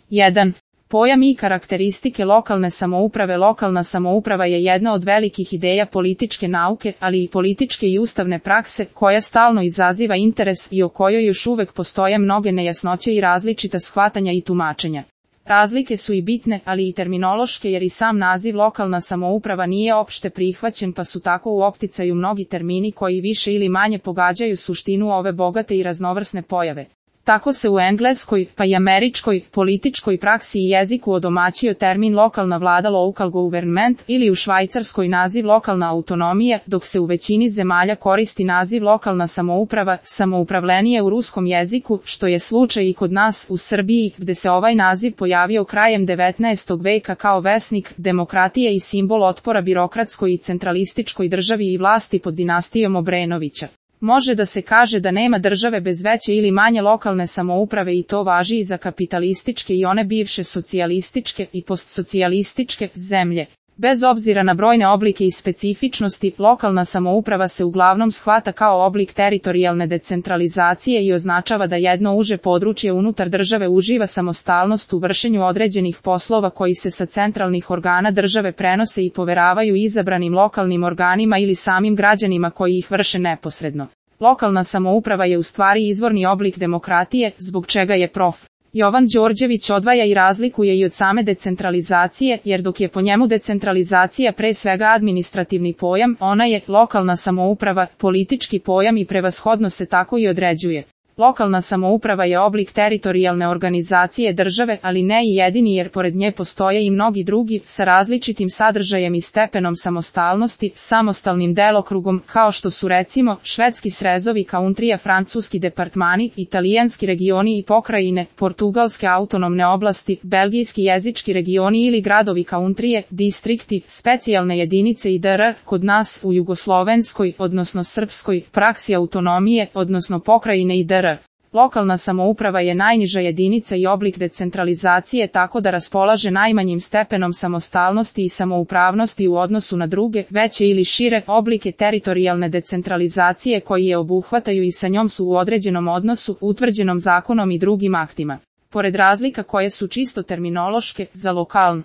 1. Pojam i karakteristike lokalne samouprave. Lokalna samouprava je jedna od velikih ideja političke nauke, ali i političke i ustavne prakse, koja stalno izaziva interes i o kojoj još uvek postoje mnoge nejasnoće i različita shvatanja i tumačenja. Razlike su i bitne, ali i terminološke, jer i sam naziv lokalna samouprava nije opšte prihvaćen, pa su tako u opticaju mnogi termini koji više ili manje pogađaju suštinu ove bogate i raznovrsne pojave. Tako se u engleskoj, pa i američkoj, političkoj praksi i jeziku odomaćio termin lokalna vlada local government ili u švajcarskoj naziv lokalna autonomija, dok se u većini zemalja koristi naziv lokalna samouprava, samoupravljenje u ruskom jeziku, što je slučaj i kod nas u Srbiji, gde se ovaj naziv pojavio krajem 19. veka kao vesnik demokratije i simbol otpora birokratskoj i centralističkoj državi i vlasti pod dinastijom Obrenovića. Može da se kaže da nema države bez veće ili manje lokalne samouprave i to važi i za kapitalističke i one bivše socijalističke i postsocijalističke zemlje. Bez obzira na brojne oblike i specifičnosti, lokalna samouprava se uglavnom shvata kao oblik teritorijalne decentralizacije i označava da jedno uže područje unutar države uživa samostalnost u vršenju određenih poslova koji se sa centralnih organa države prenose i poveravaju izabranim lokalnim organima ili samim građanima koji ih vrše neposredno. Lokalna samouprava je u stvari izvorni oblik demokratije, zbog čega je prof. Jovan Đorđević odvaja i razlikuje i od same decentralizacije, jer dok je po njemu decentralizacija pre svega administrativni pojam, ona je lokalna samouprava, politički pojam i prevashodno se tako i određuje. Lokalna samouprava je oblik teritorijalne organizacije države, ali ne i jedini, jer pored nje postoje i mnogi drugi, sa različitim sadržajem i stepenom samostalnosti, samostalnim delokrugom, kao što su recimo švedski srezovi kauntrija, francuski departmani, italijanski regioni i pokrajine, portugalske autonomne oblasti, belgijski jezički regioni ili gradovi kauntrije, distrikti, specijalne jedinice i dr. Kod nas, u jugoslovenskoj, odnosno srpskoj, praksi autonomije, odnosno pokrajine i dr. Lokalna samouprava je najniža jedinica i oblik decentralizacije, tako da raspolaže najmanjim stepenom samostalnosti i samoupravnosti u odnosu na druge, veće ili šire oblike teritorijalne decentralizacije koji je obuhvataju i sa njom su u određenom odnosu, utvrđenom zakonom i drugim aktima. Pored razlika koje su čisto terminološke, za lokalnu